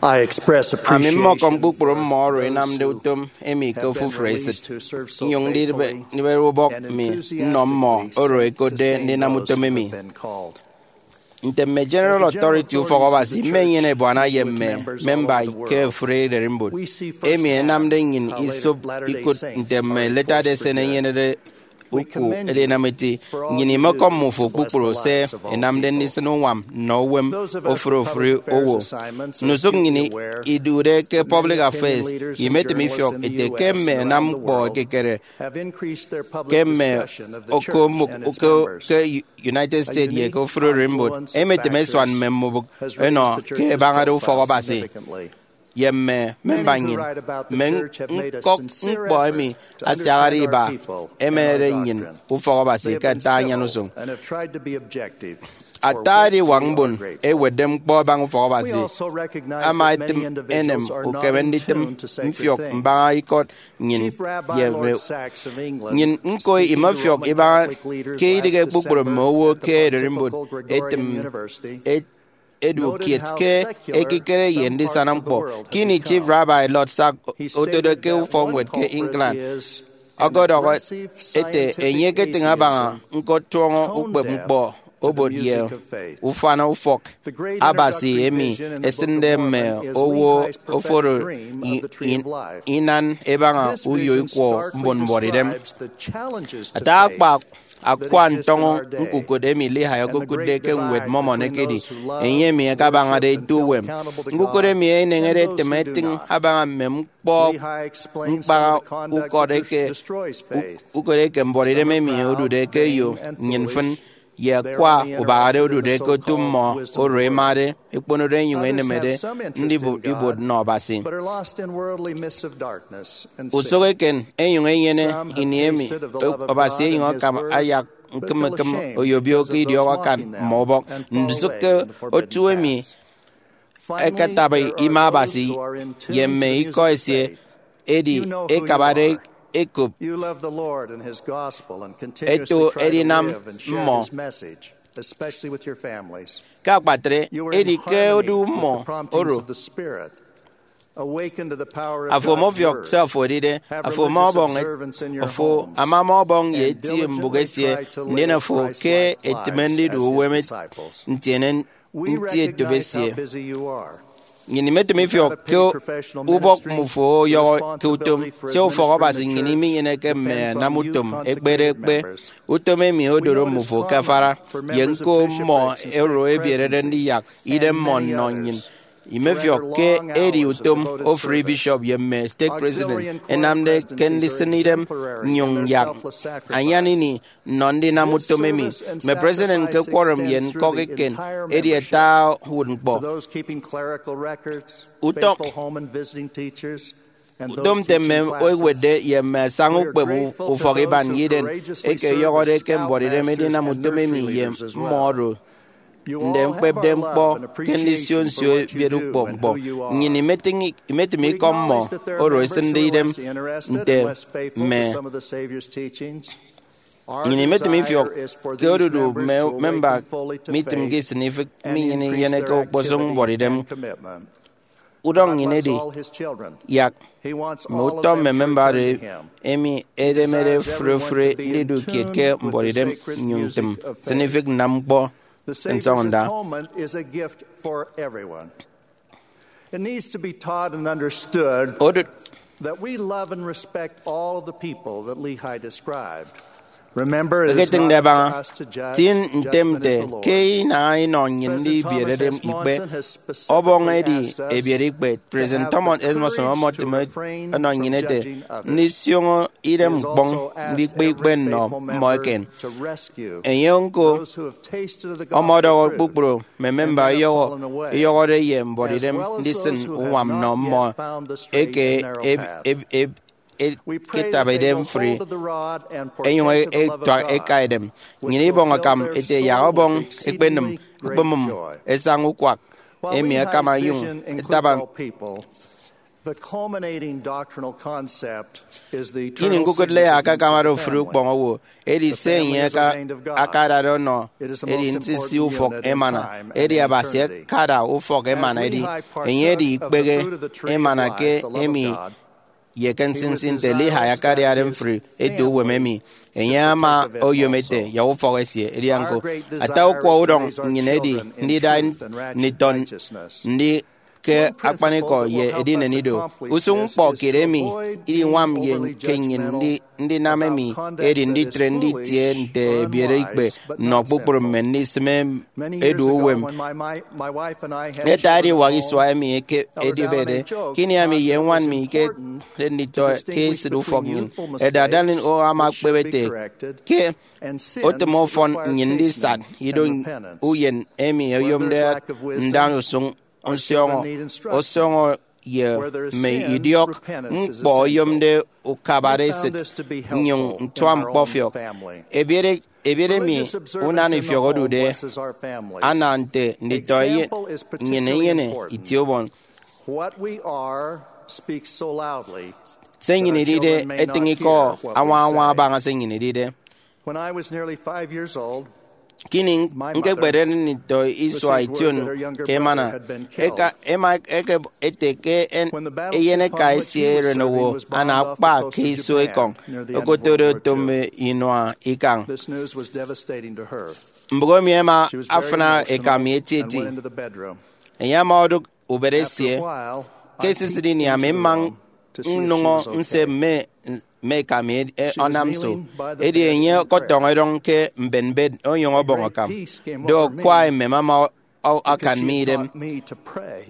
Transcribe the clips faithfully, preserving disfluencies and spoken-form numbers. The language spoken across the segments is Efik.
I express appreciation for those American Relief Society and those who serve so faithfully and enthusiastically in the United States. Ami mmọkọm kpukpru mmọ oro inamde utom emi ke owo Frederick, nnyụñ ndidịbe oro ẹkotde ndinam utom emi. Nte mme General Authority Ufọk Abasi, mmenyene ebuana ye mme memba ke ofụri ererimbot emi ẹnamde nnyịn isop ikụt nte mme Latter-day Saint ẹnyenede uku edinam eti. Nnyịn imekọm mmufo kpukpru se ẹnamde ndisịn uñwam nnọ uwem ofụri ofụri owo. Ndusụk nnyịn idude ke Public Affairs, imetịm ifiọk ete ke mme ẹnam ñkpọ ekekere ke mme okomụk ke United States ye ke ofụri ererimbot, emetịm ẹsuan mme mbubịk ẹnọ ke ẹbañade ufọk Abasi ye mme memba nnyịn. Mme ñkọk ñkpọ emi asiañade iba ẹmenede nnyịn ufọk Abasi ke nte anyan usụñ. Ata ediwak mbon ẹwetde ñkpọ ẹbaña ufọk Abasi ama etịm enem ukeme nditịm mfiọk mbaña ikọt nnyịn ye mme. Nnyịn ñko imefiọk ibaña ke idịghe kpukpru mme owo ke ererimbot ẹtịm edu kiet ke ekikere ye ndisana ñkpọ. Ke ini Chief Rabbi Lord Sack otode ke ufọkñwed ke England, ọkọdọhọ ete enye eketịñ abaña ñkotuọñọ ukpep ñkpọ obot ye ufana ufọk Abasi emi ẹsịnde mme owo oforo i- i- inan ẹbaña uyo ikwọ mbon mbuọtidem. Ata akpa akwa ntọñọ ñkukot emi Lehi okokụtde ke Ñwed Mormon ekedi enye emi akabañade eti uwem. Ñkukot emi eneñede etịm etịñ abaña mme ñkpọ ñkpaha ukọt eke, ukot eke mbuọtidem emi odude ke eyo nnyịn mfịn, ye akwa ubahade odude ke otu mmọ oro ẹmade, ẹkponode ẹnyụñ ẹnemede ndibụp ibuot nnọ Abasi. Usụk eken ẹnyụñ ẹnyene ini emi Abasi ẹnyụñ akam ayak ñkịm ñkịm oyobio ke idiọk akan mmọ ubọk. Ndusụk ke otu emi ẹketabi ima Abasi ye mme ikọ esie, edi ẹkabade ẹkop ẹto edinam mmọ. Ke akpatre, edi ke odu mmọ oro, afo ọmọfiọk se afo edide, afo ama ọbọñ, afo ama ama ọbọñ ye eti mbụk esie, ndien afo ke etịme ndidu uwem ntiene nti etop esie. Nnyịn imetịm ifiọk ke ubọk mmufo ọyọhọ ke utom. Sia ufọk Abasi nnyịn iminyeneke mme ẹnam utom ekpere ekpe, utom emi odoro mmufo ke afara, ye ñko mmọ oro ẹbierede ndiyak idem mmọ nnọ nnyịn. Imefiọk ke edi utom ofụri bishop ye mme stake president ẹnamde ke ndisịn idem nnyụñ nyak anyan ini nnọ ndinam utom emi. Mme president ke quorum ye ñkọk eken edi ata uwụtñkpọ. Utom, utom nte mme ewetde ye mme asaña ukpep ufọk iban ye iden eke ẹyọhọde ke mbuọtidem edinam utom emi ye mmọ oro nde ñkpepde ñkpọ ke ndisio nsio ebiet ukpọñ ñkpọ. Nnyịn imetịñ, imetịm ikọ mmọ oro ẹsịnde idem nte mme. Nnyịn imetịm ifiọk ke odudu mme memba mitịmke isịn ifịk minyene inyeneke okposụk mbuọtidem. Udọñ nnyịn edi yak mme utọ mme memba oro emi ẹdemede fre fre ndidu kiet ke mbuọtidem nnyụñ ntịm nsịnifịk nnam ñkpọ nsọñọnda. It needs to be taught and understood that we love and respect all of the people that Lehi described. Eketịñde abaña, tịñ ntem nte ke inaha inọ nnyịn ndibierede ikpe. Ọbọñ edi ebiere ikpe. President Thomas S. Monson ọmọtịm ọnọ nnyịn ete, ndisioño idem ñkpọñ ndikpe ikpe nnọ mmọ eken. Enye ñko ọmọdọhọ kpukpru mme memba ẹyọhọ, ẹyọhọde ye mbuọtidem ndisịn uñwam nnọ mmọ eke eb- eb- eb- eketabade mfri, ẹnyụñ ẹtuak ẹka edem. Nnyịn ibọñ akam ete yak ọbọñ ekpenịm, ẹkpemụm ẹsaña ukwak emi akam ẹnyụñ ẹtaba. The culminating doctrinal concept is the eternal significance of the family. Ini ñkukụt Leah akakamade ofụri ukpọñ owo, edi se enye aka-, akadade ọnọ edi nsinsi ufọk emana, edi Abasi akada ufọk emana, edi enye edi ikpehe emana ke emi ye ke nsinsi nte Lehi akadiade mfri eto uwem emi. Enye ama oyom ete yak ufọk esie edian ko. Ata ukwa udọñ nnyịn edi ndida nditọ ndi ke akpanikọ ye edinen ido. Usụñ ñkpọ kiet emi idiñwam ye ke nnyịn ndi-, ndinam emi edi nditre nditie nte ebiere ikpe nnọ kpukpru mme ndisịme edu uwem. Ete ediwak isua emi eke edibede, ke ini ami ye ñwan mi ikedade nditọ ke esịt ufọk nnyịn, Elder Dallin O. ama ekpep ete ke otịm ọfọn nnyịn ndisat ido uyen emi oyomde ndaña usụñ nsiọñọ, ọsọñọ ye mme idiọk ñkpọ oyomde ukabare esịt, nnyụñ ntuak ñkpọfiọk. Ebiere, ebiere mi unana ifiọk odude ana nte nditọ eyen, nnyịn enyene itie ubon. What we are speaks so loudly. Se nnyịn idide etịñ ikọ añwa añwa abaña se nnyịn idide. When I was nearly five years old, ke ini ñkekpere nditọ isua ition ke emana, eka, ema eke ete ke en-, eyeneka esie erenowo ana akpa ke iso ekọñ okotode oto mme inua ikañ. This news was devastating to her. Mbụk emi ẹma afịna eka mi etieti. Enye ama odụk ubet esie. Ke esisịt ini, ami mma nnụñọ nse mme, mme eka mi e-, ọnam nso. Edi enye ọkọtọñọ erọñ ke mbenbet onyụñ ọbọñ akam. Do akwa emem ama ọ-, akan mi idem.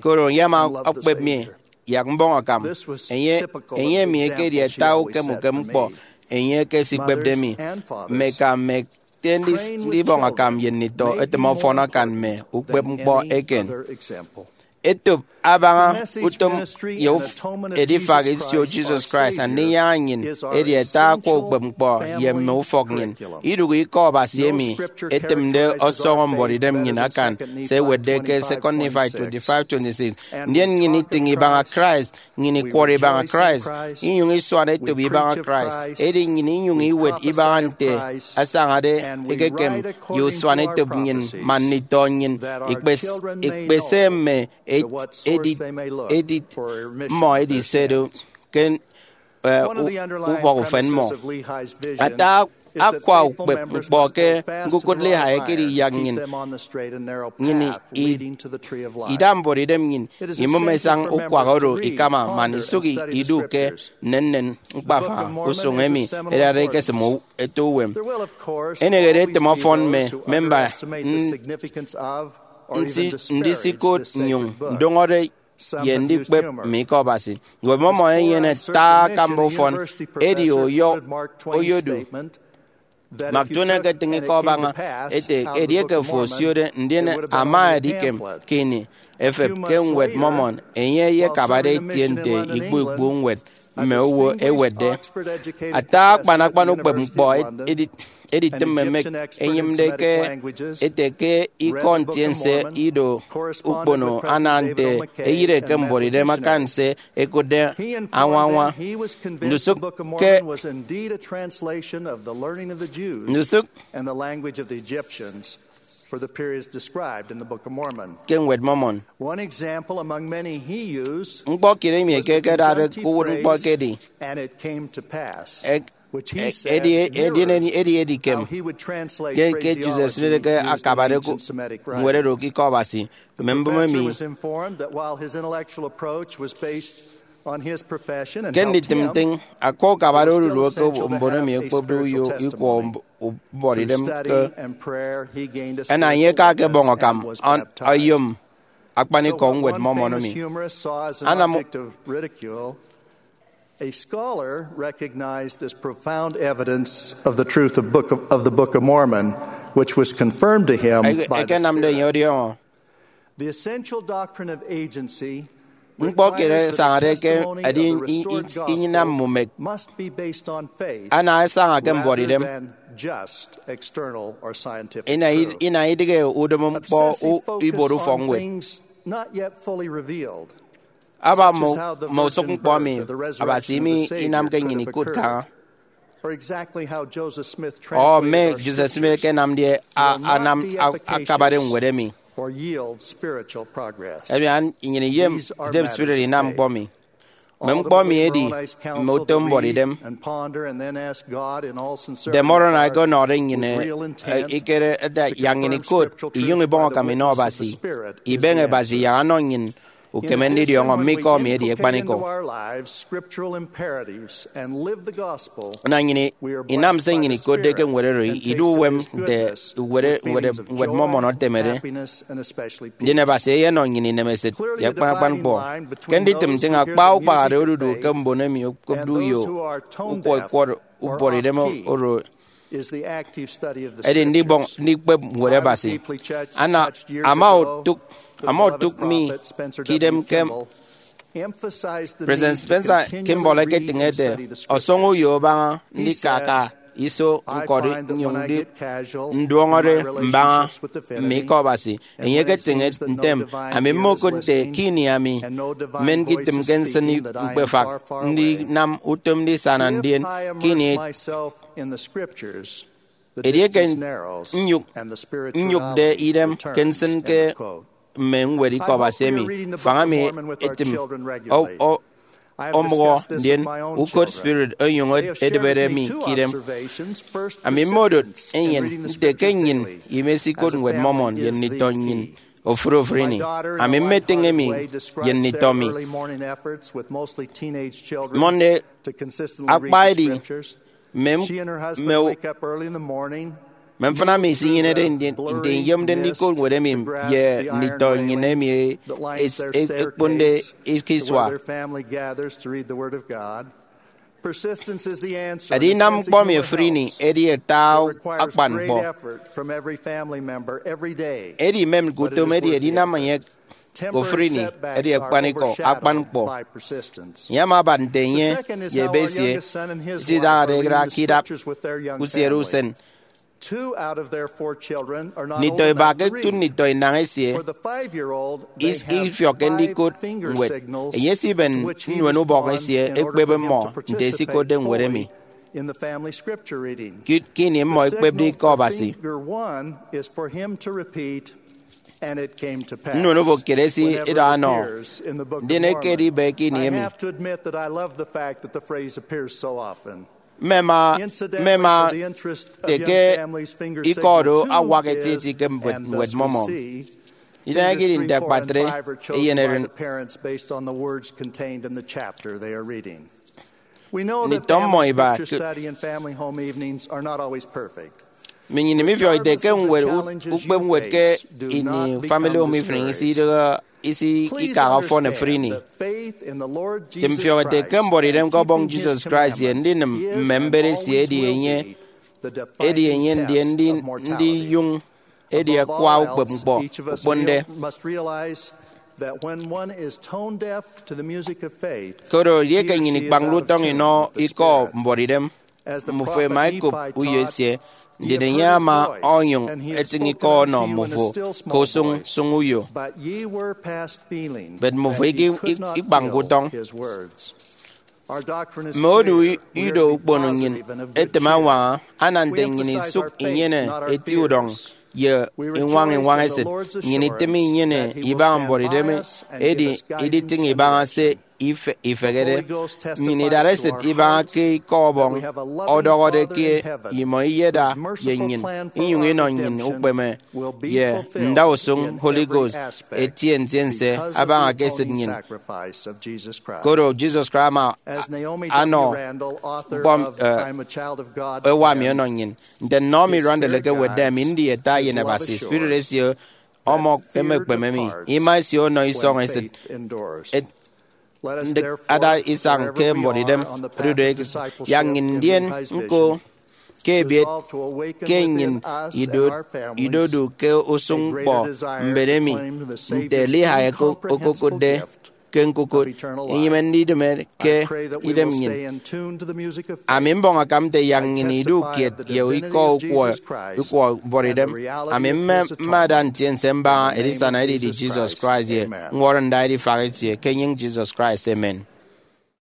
Koro enye ama okpep mi yak mbọñ akam. Enye, enye emi ekedi ata ukem ukem ñkpọ enye ekesikpepde mi. Mme eka mme ete ndis-, ndibọñ akam ye nditọ etịm ọfọn akan mme ukpep ñkpọ eken. Etop abaña utom ye uf-, edifak isio Jesus Christ Andinyaña nnyịn edi ata akwa ukpep ñkpọ ye mme ufọk nnyịn. Idụhe ikọ Abasi emi etịmde ọsọñọ mbuọtidem nnyịn akan se ewetde ke Second Nephi twenty-five twenty-six. Ndien nnyịn itịñ ibaña Christ, nnyịn ikwọrọ ibaña Christ, inyụñ isuan etop ibaña Christ. Edi nnyịn inyụñ iwet ibaña nte asañade ekekem ye usuan etop nnyịn man nditọ nnyịn ikpes-, ikpese mme ed-, edit, edit mmọ edi se do ke, eh, u-, ubọk ufen mmọ. Ata akwa ukpep ñkpọ ke ñkukụt Lehi ekedi yak nnyịn, nnyịn i-, ida mbuọtidem nnyịn imụm esañ ukwak oro ikama man isụk i-, idu ke nnennen ñkpafa usụñ emi ẹdade ẹkesịm u-, eto uwem. Enehede etịm ọfọn mme memba n-, nsi-, ndisikot nnyụñ ndụñọde ye ndikpep mme ikọ Abasi. Ñwed Mormon enyene ata akamba ufọn, edi oyo-, oyodu. Mark Twain eketịñ ikọ abaña ete, edieke afo osiode, ndien ama edikem ke ini efep ke Ñwed Mormon, enye eyekabade etie nte ikpu ikpu ñwed mme owo ẹwetde. Ata akpan akpan ukpep ñkpọ edi-, editịm emek enyịmde ke ete ke ikọ ntiense ido ukpono ana nte eyịre ke mbuọtidem akan se ẹkụtde añwañwa. Ndusụk ke ndusụk ke Ñwed Mormon. Ñkpọ kiet emi eke ẹkedade ke uwụtñkpọ ekedi, e-, e-, edi, edi, edi, edi edikem. Ke, ke Jesus esịnede ke akabade ku-, ñwed oro ke ikọ Abasi, mme mbụme emi. Ke nditịm ntịñ, akwa ukabade odudu eke mbon emi ẹkpepde uyo ikwọ mb-, mbuọtidem ke ẹna enye eke akebọñ akam, an-, oyom akpanikọ Ñwed Mormon emi. Anam a scholar recognized as profound evidence of the truth of, book of, of the Book of Mormon, which was confirmed to him by the Spirit. Ekenamde enye ọdiọñọ. The essential doctrine of agency ñkpọ kiet requires that the esañade ke testimony of the i-, restored i-, inyịnam gospel mumek must be based on faith ana esaña ke mbuọtidem. Rather than just external or scientific proof. Ina id-, ina idịghe udịm ñkpọ u-, ibuot ufọkñwed. Obsessive focus on things not yet fully revealed. aba mme usụk ñkpọ emi Abasi mi inamke nnyịn ikụt kaña, ọ mme Joseph Smith ẹkenamde anam akabade ñwed emi. Ẹbian nnyịn iyem idem spirit inam ñkpọ emi. Mme ñkpọ emi edi mme utom mbuọtidem. De Moroni eke ọnọde nnyịn ikere ete yak nnyịn ikot inyụñ ibọñ akam inọ Abasi, ibeñe Abasi yak anọ nnyịn ukeme ndidiọñọ mme ikọ emi edi akpanikọ. Ana nnyịn inam se nnyịn ikotde ke ñwed oro, idu uwem nte ñwed Ñwed Mormon etemede. Ndien Abasi eyenọ nnyịn inemesịt ye akpan akpan ñkpọ. Ke nditịm ntịñ, akpa ukpaharede odudu ke mbon emi okopde uyo ukwọ ikwọrọ ubuọtidem oro edi ndibọñ ndikpep Ñwed Abasi. Ana ama otụk ama otụk mi ke idem ke President Spencer Kimball eketịñ ete, ọsọñọ uyo abaña ndikaka iso ñkọri nnyụñ nduọñọde mbaña mme ikọ Abasi. Enye eketịñ ntem, ami mmokụt nte ke ini ami mmen ke itịm ke nsịn ñkpefak ndinam utom ndisana ndien ke ini edieke nnyụk nnyụkde idem ke nsịn ke mme ñwed ikọ Abasi emi, faña mi etịm omụhọ ndien ukot spirit onyụñ edịbede mi ke idem. Ami mmodot enyịn nte ke nnyịn imesikot Ñwed Mormon ye nditọ nnyịn ofụri ofụri ini. Ami mmetịñ emi ye nditọ mi. Mmọnde akpa edi mme mme mfịna mi isinyenede nte iyomde ndikot ñwed emi ye nditọ nnyịn emi ekponde ke isua. Edinam ñkpọ emi ofụri ini edi ata akpan ñkpọ. Edi imemke utom edi edinam enye ofụri ini edi akpanikọ akpan ñkpọ. Enye ama abat nte enye ye ebe esie isidañade idara ke idap usiere usen. Nditọ iba ke otu nditọ inañ esie ifiọkke ndikot ñwed. Enye esiben nnuen ubọk esie ekpep mmọ nte esikotde ñwed emi. Ke ini mmọ ekpepde ikọ Abasi, nnuen ubọk kiet esie idọhọ anọ, ndien ekedi ibe ke ini emi. Mmema mmema ete ke ikọ oro awak etieti ke mbet Ñwed Mormon. Idaña ekedi nte akpatre eyeneren. Nditọ mmọ iba ke mme nnyịn mifiọk ite ke ñwed ukpep ñwed ke ini Family Home Evening isi idịghe isi ikaha ọfọn ofụri ini. Tịm fiọk ete ke mbuọtidem ke Ọbọñ Jesus Christ ye ndinịm mme mbet esie edi enye edi enye ndien ndiyụñ edi akwa ukpep ñkpọ okponde. Koro edieke nnyịn ikpañde utọñ inọ ikọ mbuọtidem, mmufo ẹma ẹkop uyo esie, ndien enye ama onyụñ etịñ ikọ ọnọ mmufo ke usụñ sụñ uyo. But mmufo ikpañke utọñ. Mme odu ido ukpono nnyịn etịm añwaña, ana nte nnyịn isụk inyene eti udọñ ye iñwañ iñwañ esịt. Nnyịn itịm inyene ibaña mbuọtidem, edi iditịñ ibaña se ifehede. Nnyịn idara esịt ibaña ke ikọ Ọbọñ ọdọhọde ke imọ iyeda ye nnyịn, inyụñ inọ nnyịn ukpeme ye ndausụñ Holy Ghost etie ntiense abaña ke esịt nnyịn. Koro Jesus Christ ama anọ ñkpọ ewa mi ọnọ nnyịn. Nte Naomi Randall ekewetde, ami ndi ata eyen Abasi, spirit esie ọmọ emekpeme mi, ima esie ọnọ isọñ esịt. Ndịk ada isañ ke mbuọtidem odudu eke yak nnyịn ndien ñko ke ebiet ke nnyịn idodu ke usụñ ñkpọ mbet emi nte Lehi okokụtde. ke ñkukụt inyịme ndidịme ke idem nnyịn. Ami mbọñ akam nte yak nnyịn idu kiet ye ikọ ukwọ ukwọ ubuọtidem. Ami mme mme ada ntiense mbaña edisana edidi Jesus Christ ye ñwọrọ ndaidifak esie ke enyịñ Jesus Christ. Amen.